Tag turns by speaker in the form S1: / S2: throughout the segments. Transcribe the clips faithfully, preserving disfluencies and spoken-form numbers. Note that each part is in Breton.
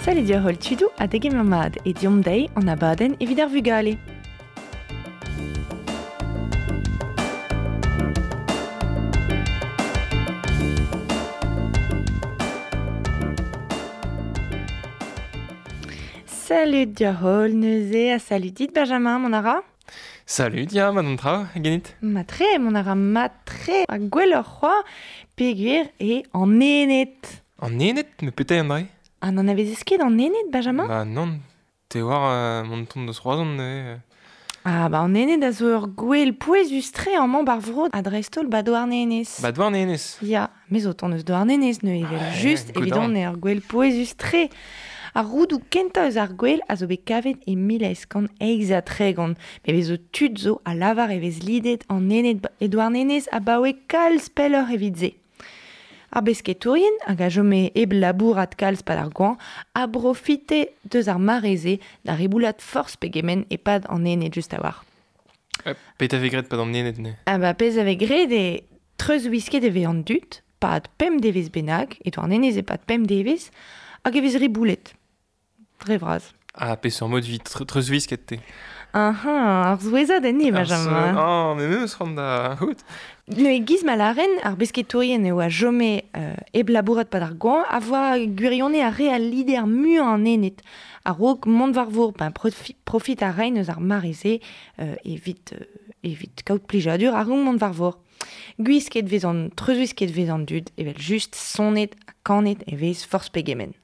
S1: Salut dior hol tudou ha degemer mat e diomp deiz an abadenn evit ar vugale. Salut dior hol neuze ha salut dit Benjamin, mon ara.
S2: Salut dia, ma tra, genit.
S1: Ma tre, mon ara ma tre a gwell ur c'hoa peogwir e an ened.
S2: An ened, me petai an dre.
S1: Ah, n'en avez ket an ened, Benjamin?
S2: Bah non, te war euh, mon ton deus roazon neuze.
S1: Ah bah an ened a zo ur gwell pouezus tre amañ bar vro a dreist-holl ba Douarnenez.
S2: Ba Douarnenez.
S1: Ya, me zo ton eus Douarnenez neuze, evel
S2: Ah,
S1: just,
S2: goudon.
S1: evidon eo ur gwell pouezus tre. Ar roudou kentañ eus ar gwell a zo bet kavet e mil eizh kant eizh ha tregont. Me vezo tud zo a lavar e vez lidet an ened e Douarnenez abaoe kalz pelloc'h evit se. Ar besketourien, hag a chome hep labourat kalz pad ar goañv, a brofite deus ar mare-se da riboulat forzh pegement e-pad an ened just a-walc'h.
S2: Euh, Pet a vez graet pad an ened ne?
S1: Ah bah pezh a vez graet e treuzwisket e vez an dud, pad pemp devezh bennak, e Douarnenez e pad pemp devezh, hag e vez riboulet. Dre vras.
S2: Ah, peseurt mod vit tre- treuzwisket te.
S1: Ah ah, ar zouezad enni,
S2: Ar
S1: Benjamin.
S2: zo- Ah, me meus c'hoant da c'hout.
S1: Ne giz ma laren, ar besketourien eo a chome euh, hep labourat pad ar goañv, a voa gwirione ar re al lider muiañ an ened. A-raok mont war vor, ben profi, profit a rein eus ar mare-se euh, evit, euh, evit kaout plijadur a raok mont war vor. Gwisket vez an, treuzwisket vez an dud, evel just sonet ha kanet e vez forzh pegement.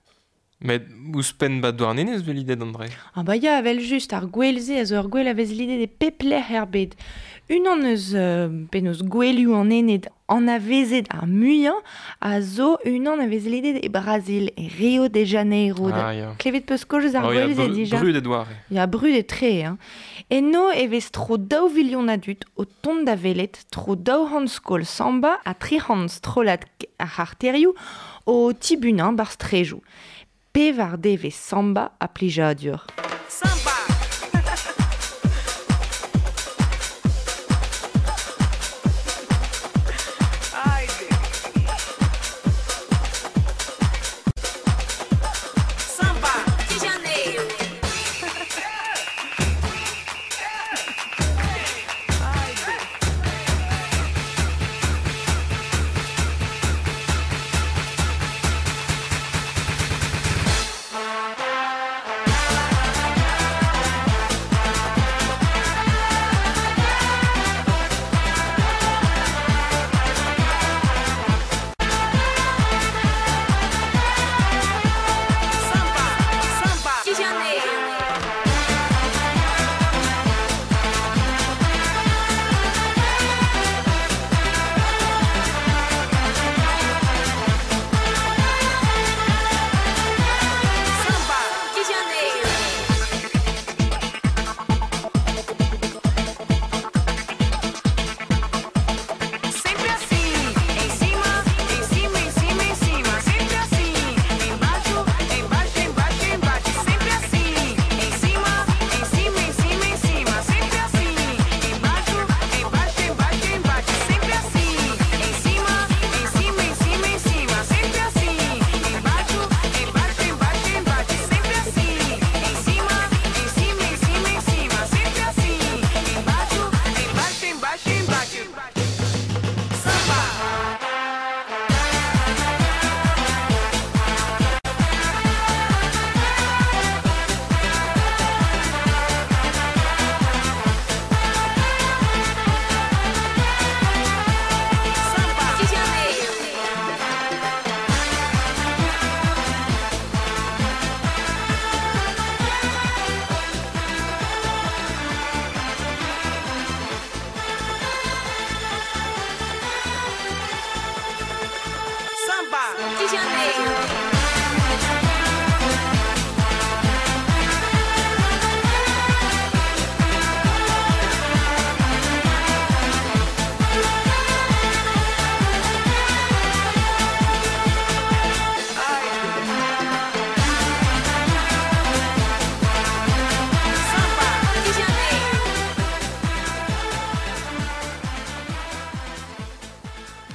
S2: Met ouzhpenn ba Douarnenez vez lidet an dre.
S1: Ah bah ya, evel just, ar gwell-se a zo ur gwell a vez lidet e pep lec'h er bed. Unan eus euh, penaos gwellioù an ened anavezet ar muiañ a zo unan a vez lidet e Brazil, e Rio de Janeiro.
S2: Ah ya.
S1: Klevet peus kozh eus ar
S2: Oh, ya,
S1: gwell-se
S2: bru-
S1: dija.
S2: Brudet oare.
S1: Ya, brudet tre, hein. Eno e vez tro daou vilion a dud o tont da welet, tro daou c'hant skol samba ha tri c'hant strollad ar c'harterioù o tibunañ bar strejoù. Pevar devez samba a plijadur.
S3: Samba! Ai, Samba de Janeiro. Ai,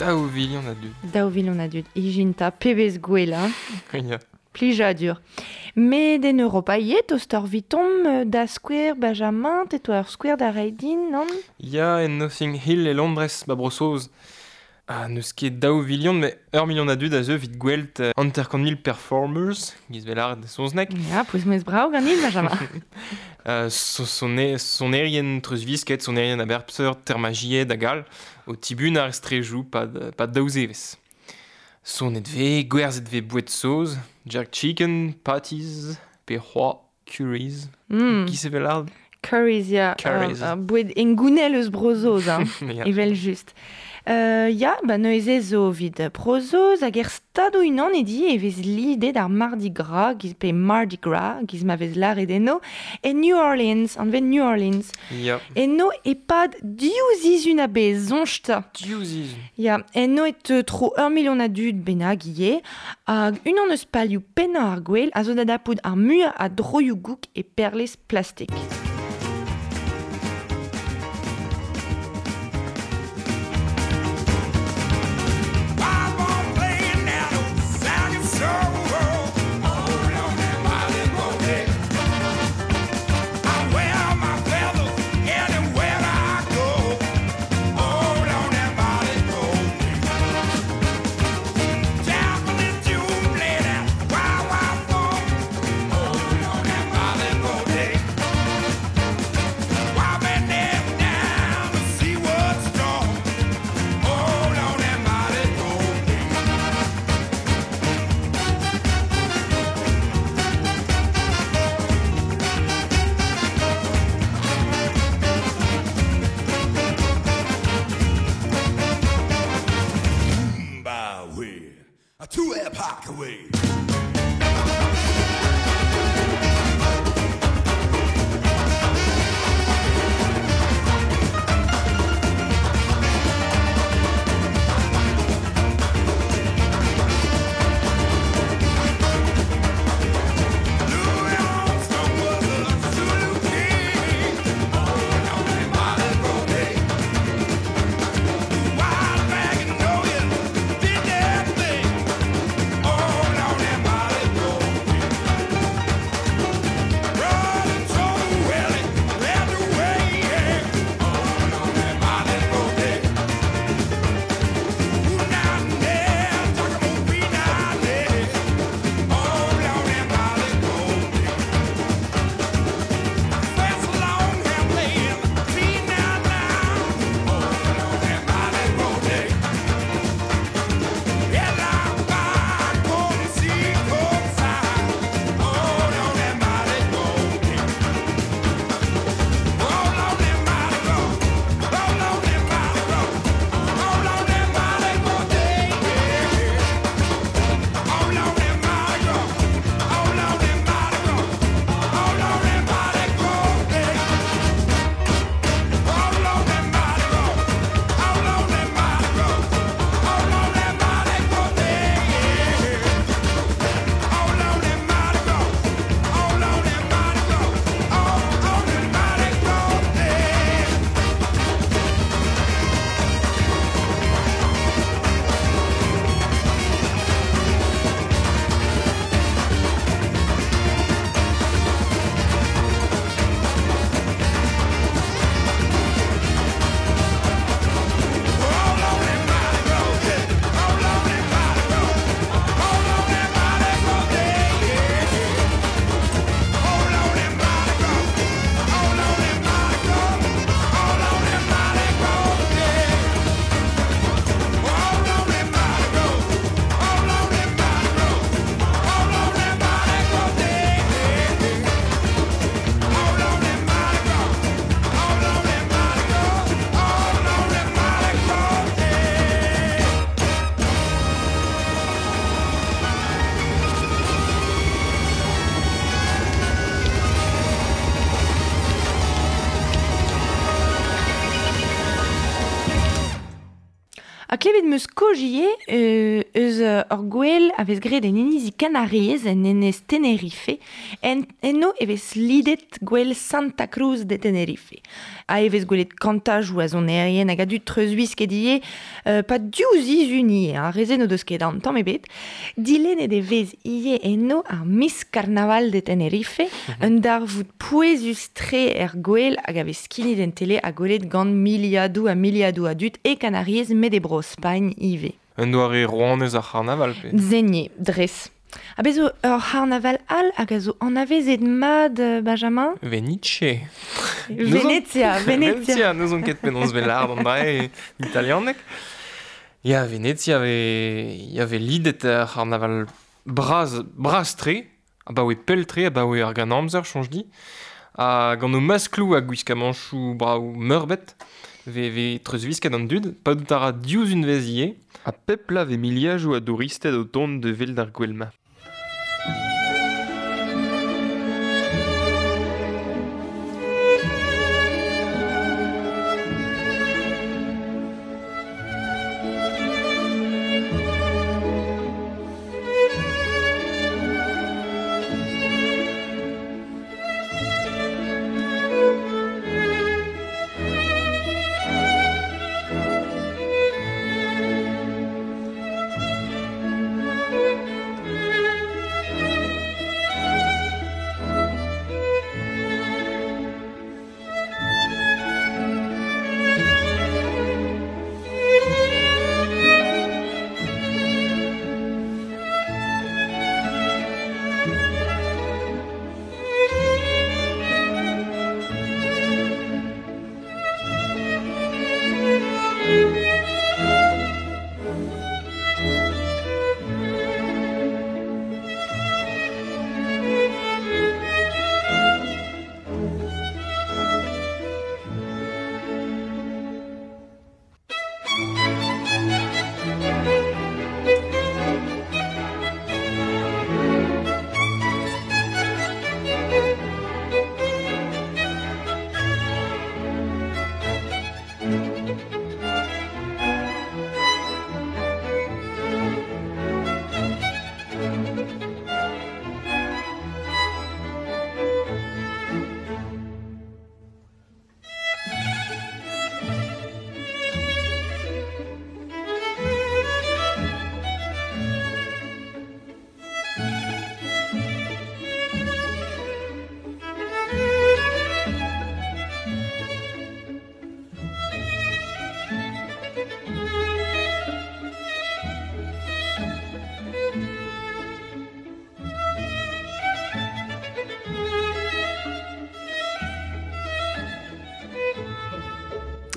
S2: Daou vilion a dud.
S1: Daou vilion a dud. Ijinta, pebez gwell, hein.
S2: Ya.
S1: Plijadur. Met en Europa yet, o stor vitom da skouer Benjamin, te ur skouer da Reidin, non?
S2: Ya, en Notting Hill e Londres, ba Brosoz. Ah, neus ket daou vilion, met ur milion a dud a zeu vit gwelt uh, hanter-kant mil performers, giz vel ar de sonznek.
S1: Ya, pouez mez brao ganit, Benjamin.
S2: uh, so, son, sonerien treuzvisket, sonerien a berpseur, termagied hag all, o tibun ar estrejou pad, pad daou zevez. Sonet ve, gwerzhet ve bouet soz, jerk chicken, patties, pe c'hoa, curries. Mm. Giz evel ar?
S1: Curries, ya.
S2: Curries.
S1: Uh, uh, bouet engounel eus brozoz, hein.
S2: Ya.
S1: Evel just. Euh, ya, ba neuze zo vid prozoz hag er stado unan e di e vez lidet ar Mardi Gras, giz pe Mardi Gras, giz ma vez lâret eno, e New Orleans, anvet New Orleans.
S2: Ya.
S1: Eno e pad div zizun a bez, zoñj-ta.
S2: Div zizun.
S1: Ya, eno e teu tro ur milion a dud bennak ivez, hag unan eus palioù pennañ ar gwel a zo da dapout ar muiañ a droioù gouk e perlez plastik.
S4: Two epoch away. Oh, no.
S1: klevet meus kojie euh, eus ur gwel a vez graet en inizi Kanariez en enez Tenerife, en eno e vez lidet gwel Santa Cruz de Tenerife. A e vez gwelet kantaj ou a zonerien hag a dud treuzwisk die euh, pa diouz izuni, hein, rezen o deus ket an tamm ebet. Dilennet e vez ie eno ar Miss Carnaval de Tenerife, un darvoud pouezus tre er gwel hag a vez skinit en tele a gwelet gant miliadoù a miliadoù a dud e Kanariez met e bro Spagn ive.
S2: Un doare rouanez ar c'harnaval pe.
S1: Zenier, dres. A bezo ur c'harnaval all hag a zo anavezet mad, Benjamin?
S2: Venice.
S1: Venezia, Venezia.
S2: Venezia, nous on ket penaos vel ard an drae italianek. Ya, Venezia ve, ya ve lidet ar c'harnaval braz, braz tre, a ba oe pell tre, a ba oe ar gan amzer, chanj di. A gant o masklou a gwiskamanchou braou meurbet, ve, ve treuzwisket an dud, pa dout ara diouz un vez ie.
S4: A pepla ve miliajoù a douristed o tont de vel d'ar gwelma.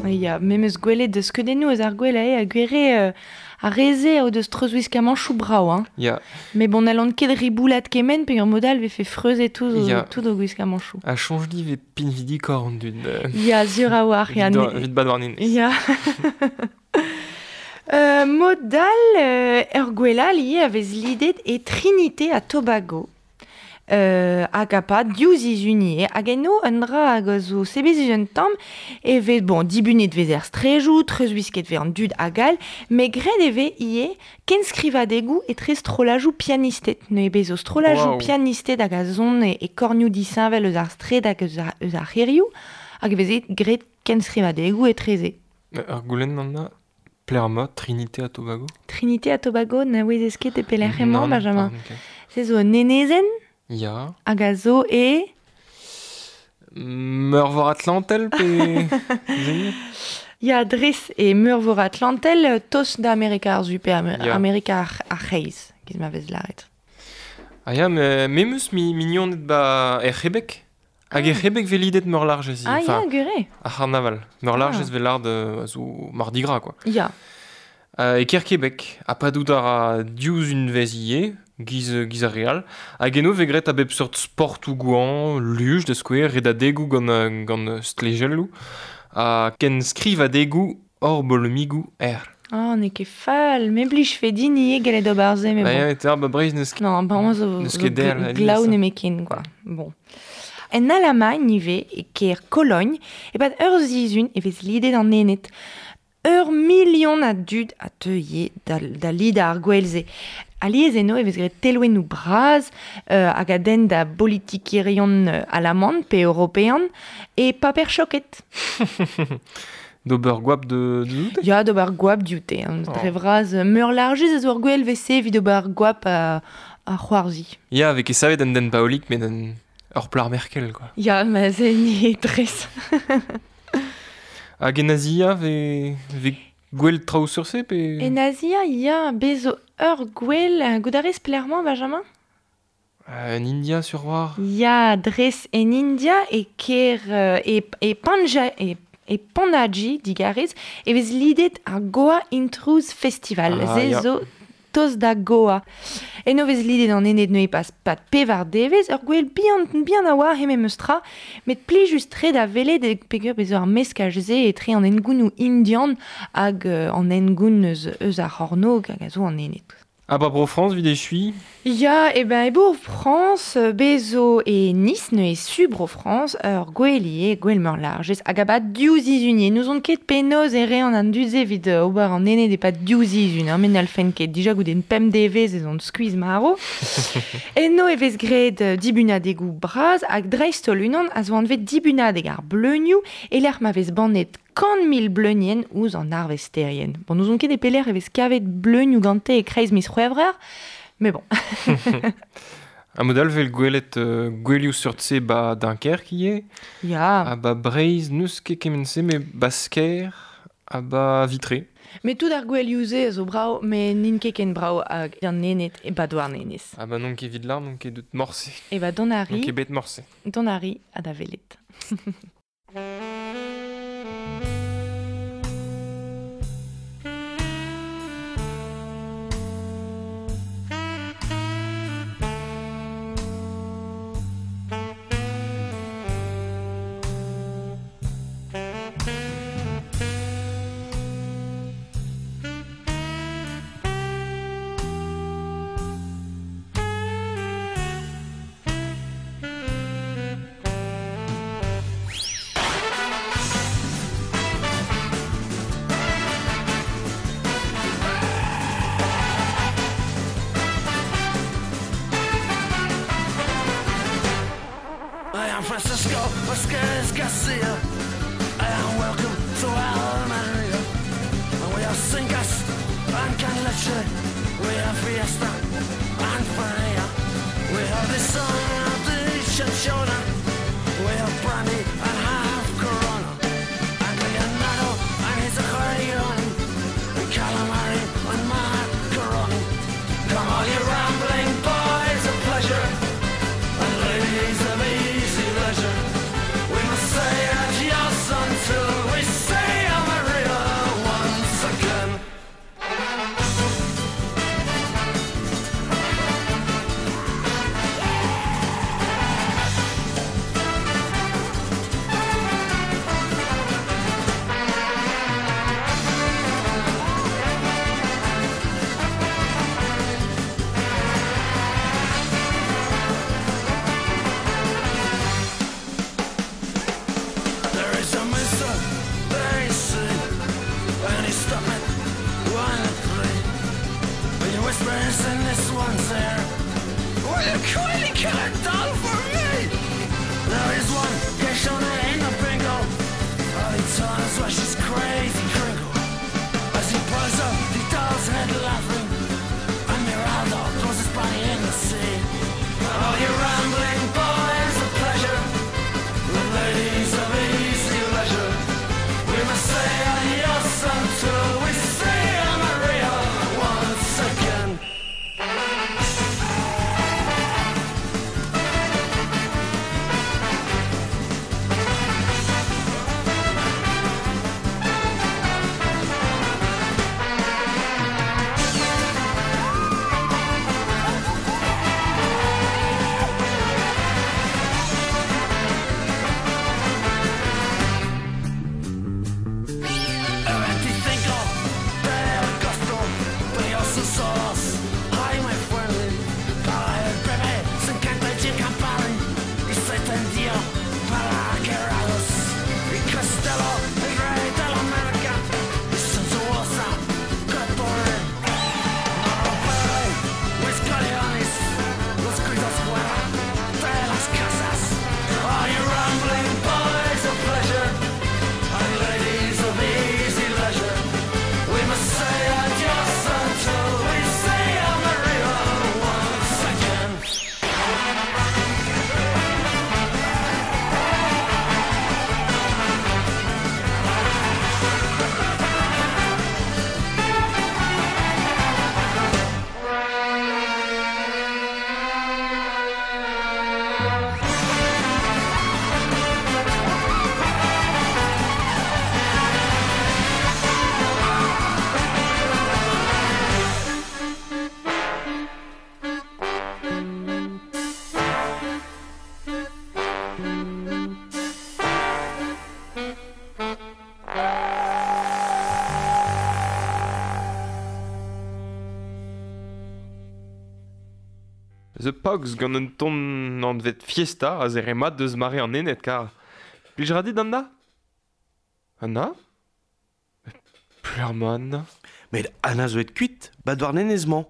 S1: Ya, memeus gwelet deus skeudennoù eus ar gwel ae a gwere euh, a reze o deus treuzwiskamanchoù brao, hein.
S2: Ya.
S1: Mais bon, n'allons ket riboulat kemen pe ur modal ve fait freuze tout
S2: Ya.
S1: tout o gwiskamanchoù.
S2: A chanj di ve pinvidi kor an dud.
S1: Ya, zur a war, ya.
S2: Vit bad war nin.
S1: Ya. euh, modal euh, ur gwelal ie a vez lidet e Trinité a Tobago. Euh, hag a pa diouz izunie hag eno un dra hag a zo sebezuz un tamm e vez, bon, dibunet vez er strejou, treuzwisket vez an dud hag all, met graet e vez ie kenskrivadegoù etre strolajou pianisted. Ne bez zo strolajou
S2: Wow.
S1: pianisted hag a zon e, e kornioù disheñvel eus ar stred hag eus ar, eus ar c'hêrioù, hag e veze graet kenskrivadegoù etreze.
S2: Ur goulenn an a Plerma, Trinité a Tobago.
S1: Trinité a Tobago na ouezez ket e pelec'h emañ,
S2: Nann,
S1: Benjamin.
S2: pardon, ok.
S1: Se zo un enezenn
S2: Ya.
S1: hag a zo e...
S2: Meurvor Atlantel pe... Zeni
S1: Ya, dres e meurvor Atlantel, euh, tos da Amerika ar zu pe Amer
S2: Ya.
S1: Amerika ar, ar c'hreiz, giz ma vez laret.
S2: Ah ya, me, memeus mi mignoned ba er C'hebek. Hag er C'hebek ve lidet meur largez.
S1: Ah
S2: Enfin,
S1: ya, gure.
S2: ar c'harnaval. Meur largez
S1: Ah.
S2: ve lard euh, a zo Mardi Gras, quoi.
S1: Ya.
S2: Euh, e ker Québec, a pa dout ar a diouz un vez ie, giz, giz ar real, hag eno ve gret a bep seurt sport ou gouan, luj da skouer, red a degou gant, euh, gant stlejelloù, ha ken skriv a degou hor bolomigou er.
S1: Oh, n'eo ket fall, me blij fe din ie gellet ober se, mais
S2: Ba
S1: bon.
S2: ya, eta ba breiz neus
S1: Non, ba on zo,
S2: N'eus
S1: zo
S2: ket der,
S1: gl-
S2: alies,
S1: glaou
S2: hein.
S1: nemetken, quoi. Bon. En Allemagne ive, e kêr Cologne, e pad ur zizun e vez lidet an ened. Ur milion a dud a teuie da, da lida ar gwelze. Aliez eno e vez graet telwennoù braz euh, hag a den da politikerion euh, alaman pe european e paper choket.
S2: D'ober gwap de, de doute?
S1: Ya, d'ober gwap dioute. Hein.
S2: Oh.
S1: Dre vraz, meur largez a zo ar gwel vese evit d'ober gwap a, a c'hoarzi.
S2: Ya, avec e savet an den paolik, met an ur plar Merkel, quoi.
S1: Ya, ma ze ni dres.
S2: Hag en Azia, ve, ve gwell traoù sur se, pe...
S1: En Azia, ya, bezo ur gwell, goudarez plermañ, Benjamin?
S2: Euh, en India, sur war.
S1: Ya, dres en India e ker euh, e, e Panja e e Panaji digarez e vez lidet ar Goa Intruz Festival.
S2: Ah,
S1: Ze
S2: ya.
S1: zo toz da Goa. Eno vez lidet an ened neuze pas pat pevar devez, ur gwell bihan, bihan a oa heme meus tra, met plijus tre da welet e peger bezo ar meskaj ze e tre an engounou indian hag euh, an engoun eus, eus ar c'hornog hag a zo an ened.
S2: Ah bah bro France, vid echui.
S1: Ya, e ben, e bo France, bezo e Nice, ne e su bro France, ur gwell ie, gwell meur largez, hag a ba div zizun ie. Nous on ket penoz e re an an duze evit euh, ober an ene de pa div zizun, hein, men alfen ket, dija goude un pemp devez ez on skuizh maro. Eno e vez graet euh, dibunadegou braz hag dreist-holl unan a zo anvet dibunadeg ar bleunioù e lec'h ma vez bannet kant mil bleunien ouzh an arvesterien. Bon, nous on ket e pelec'h e vez kavet bleunioù gante e kreiz miz c'hwevrer, mais bon.
S2: A modal vel gwelet euh, gwelioù sur tse ba Dunkerque ie.
S1: Ya.
S2: A ba Breizh n'eus ket kement-se, mais ba Skaer, a ba Vitré.
S1: Mais tout ar gwelioù-se a zo brao, mais n'int ket ken brao hag an nenet e ba douar nenez.
S2: Ah bah non ket vid l'arm, non ket deut morse.
S1: E ba don
S2: Non
S1: ari,
S2: ket bet morse.
S1: don ari a da velet.
S5: I am Francisco Vasquez Garcia. I am welcome to Almeria. And we have Cingas and Canleche. We have Fiesta and Fire. We have the sun of the Chanchona. We have Brandy and half Corona. And Leonardo and his accordion. And Calamari and Macaroni. Come all you rambling boys of pleasure. And ladies of easy leisure, we must say adios until we say Maria once again.
S4: The Pogs gant un ton anvet Fiesta a zere mat deus mare an ened kar. Plij ra dit Anna? Anna? Pleur ma Anna.
S6: Met Anna zo et kuit, bat war nenez-mañ,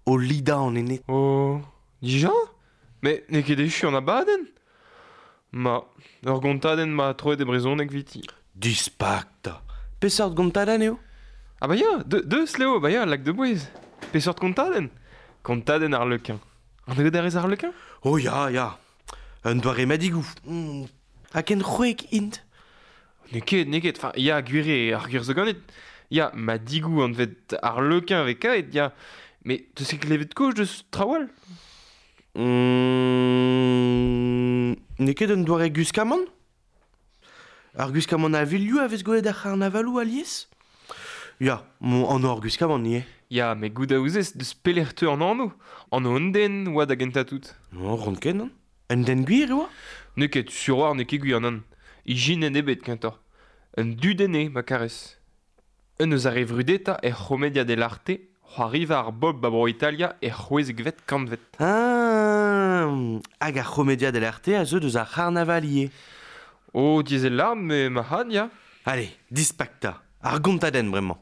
S6: o lida an ened.
S4: Oh, dija? Mais n'eo ket echu an abadenn? Ma, ur gontadenn ma troet e brezhoneg viti.
S6: Dispakta. Peseurt gontadenn eo?
S4: Ah bah ya, de, deus Léo, bah ya, lak de bouez. Peseurt kontadenn? Kontadenn ar lequin. An eo d'ar ar lequin?
S6: Oh ya, ya. Un doare madigou. Mm. Ha ken c'hwek int?
S4: N'eo ket, n'eo ket, enfin, ya, gwir ar gwir zo ganit. Ya, madigou anvet ar lequin avec aet, ya. Mais te se klevet koch deus trawal?
S6: Mm, n'eo ket un doare guskamant? Ar guskamant a vilioù a vez gwelet ar c'harnavalou alies? Ya, mon an ar guskamant nie.
S4: Ya, met goût a ouzez deus pelec'h teu an anv. An an den oa da gentañ tout.
S6: Non, ront ken, an. Un den gwir e oa?
S4: N'eo ket sur war n'eo ket gwir nan. Ijinen ebet kentoc'h. Un dudenn eo, ma karez. Un eus ar re vrudeta er c'homedia dell'arte, c'hoariva ar bob ba bro Italia er c'hwezekvet kantvet.
S6: Ah, hag ar c'homedia dell'arte a zeu deus ar c'harnaval ivez.
S4: Oh, diesel larm, me ma had, ya.
S6: Allez, dispakta. Ar gontadenn bremañ.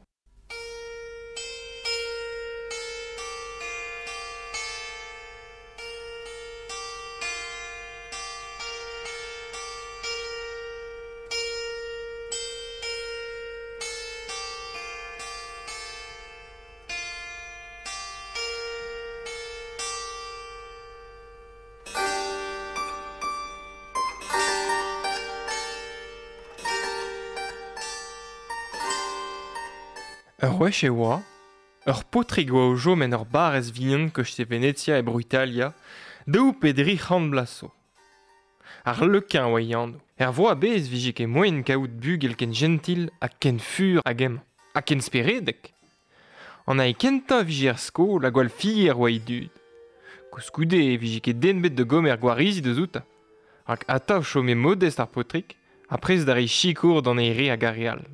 S4: Ur wech e oa, ur paotrig oa o chom en ur barrez vihan koste Venezia e bro Italia, daou pe dri c'hant bloaz zo. Ar lequin oa e anv. Er vro a-bezh vije ket moaien kaout bugel ken gentil ha ken fur hag emañ, ha ken speredek. An ae kentañ vije er skol ha gwall fier oa e dud. Koulskoude e vije ket den bet da gomer gwarizi deus outañ. Rak atav chome modest ar paotrig, ha prest da reiñ sikour d'an eil re hag ar re all.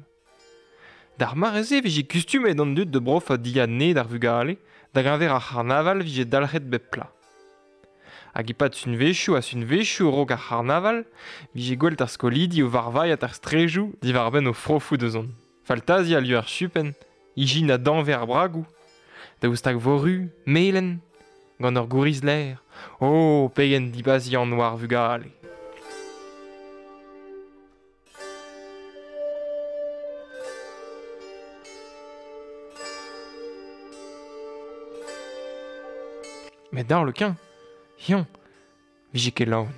S4: D'ar mare-se vije kustumet an dud de brof a dilhad ned ar vugale, da geñver ar c'harnaval vije dalc'het bep pla. Hag e-pad sunvezhioù ha sunvezhioù raok ar c'harnaval, vije gwel't ar skolidi o varvailhat ar strejoù diwar-benn o frofoù deus on. Faltazi a lieu ar chupenn, ijin a danve ar bragoù, daoust hag voru, melen, gant ur gouriz l'air. Oh, pegen dibazian oa ar vugale. Met d'ar lequin, hiañ, vije ket laouen.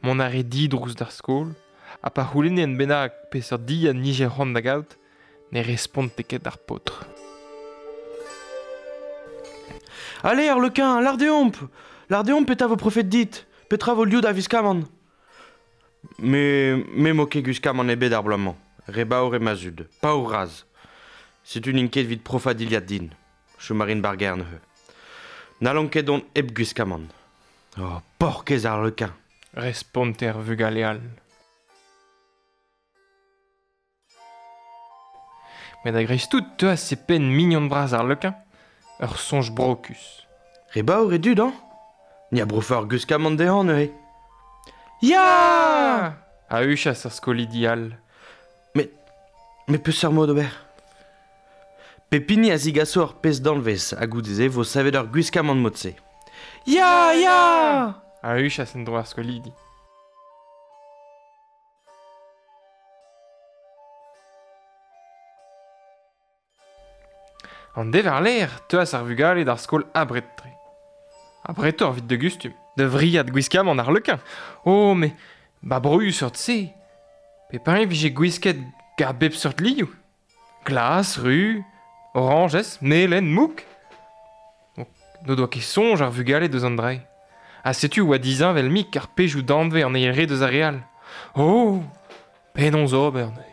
S4: Mont a re didrouz d'ar skol, ha pa c'houlenne en bennak peseurt dilhad nije c'hoant da gaout, ne responte ket d'ar paotr.
S6: Allez, ar lequin, lar deomp! Lar deomp petra vo profet dit, petra vo liou da viskamant. Me, me mo ket guskamant ebet ar bloaz-mañ, re baour e ma zud, paour raz. Setu n'int ket evit profañ dilhad din, chom a rin bar gêr neuze. N'hallon ket dont hep gwiskamant. Oh, porkez ar lequin.
S4: Responte ar vugale all. Met a-greiz tout teuas e penn mignon bras ar lequin, ur soñj brokus.
S6: Re baour e dud, hein? Ni a brofa ur gwiskamant dezhañ neuze. Ya!
S4: A huchas ar skolidi all.
S6: Met, met peseurt mod ober? Pepini a zigaso ur pezh danvez ha goude-se vo savet ur gwiskamant mod-se. Ya, ya!
S4: A huchas en-dro ar skolidi. An dever-lec'h teuas ar vugale d'ar skol abred-tre. Abretoc'h evit da gustum. Da vriad gwiskamant ar lequin. Oh, mais ba broioù seurt-se. Pep hini vije gwisket gant bep seurt lioù. Glas, ru, oranjez, melen, mouk. N'o doa ket soñj ar vugale deus an dra. Ha setu oa disheñvel mik ar pezhioù danvez an eil re deus ar re all. Oh, penaos ober neuze.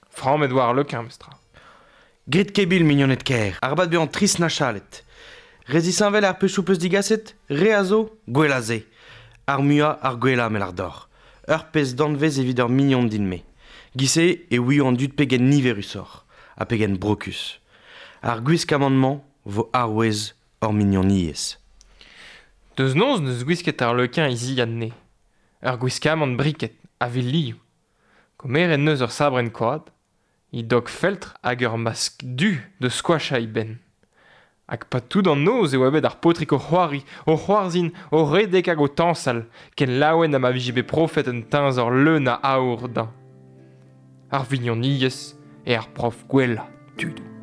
S4: Frammet oa ar lequin, mestra.
S6: Grit kebil, mignoned ker, arabat bezañ trist na chalet. Re zisheñvel ar pezhioù peus digaset, re a zo, gwell a se. Ar muiañ ar gwellañ me lar deoc'h. Ur pezh danvez evit ur mignon din-me. Gise e ouio an dud pegen niverusoc'h, ha pegen brokus. Ar gwiskamant-mañ vo arouez hor mignoniezh.
S4: Deus noz neus gwisket ar lequin izi anne. Ur gwiskamant briket, a vil liou. Komeret neus ur sabrenn koad, i dog feltr hag ur mask du de squash a i ben. Hag pa tout an noz e oa bet ar paotrig o c'hoari, o c'hoarzhin, o redek hag o tañsal, ken laouen ha ma vije bet profet un teñzor leun a aour dañ. Ar vignoniezh e ar prof gwellañ, tudoù.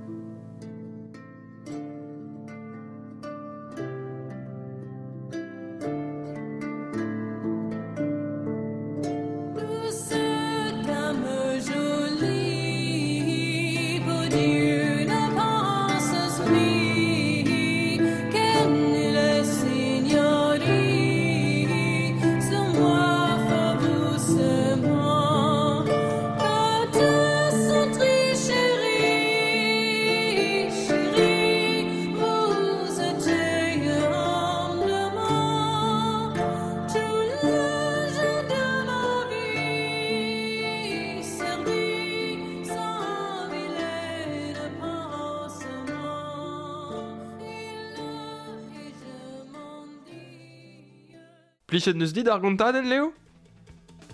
S4: Plichet neus dit ar gontadenn, Léo?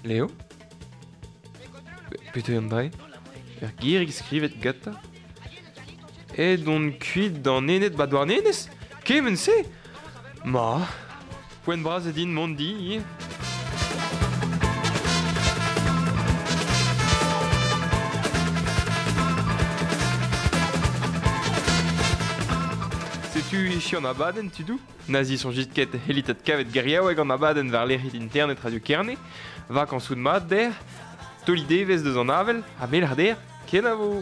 S4: Léo? Peto an dre? Ur girig skrivet gata? E don kuit d'an ened ba douarnenez? Kement se? Ma, poent bras e din mont di. Setu ichi an abadenn, tudou? Nazi son jitket helitet kavet geriaoueg an abadenn war lec'hid internet Radio Kerne, vakansoù mat der, toli devez deus an avel, ha mel ar der, kenavo!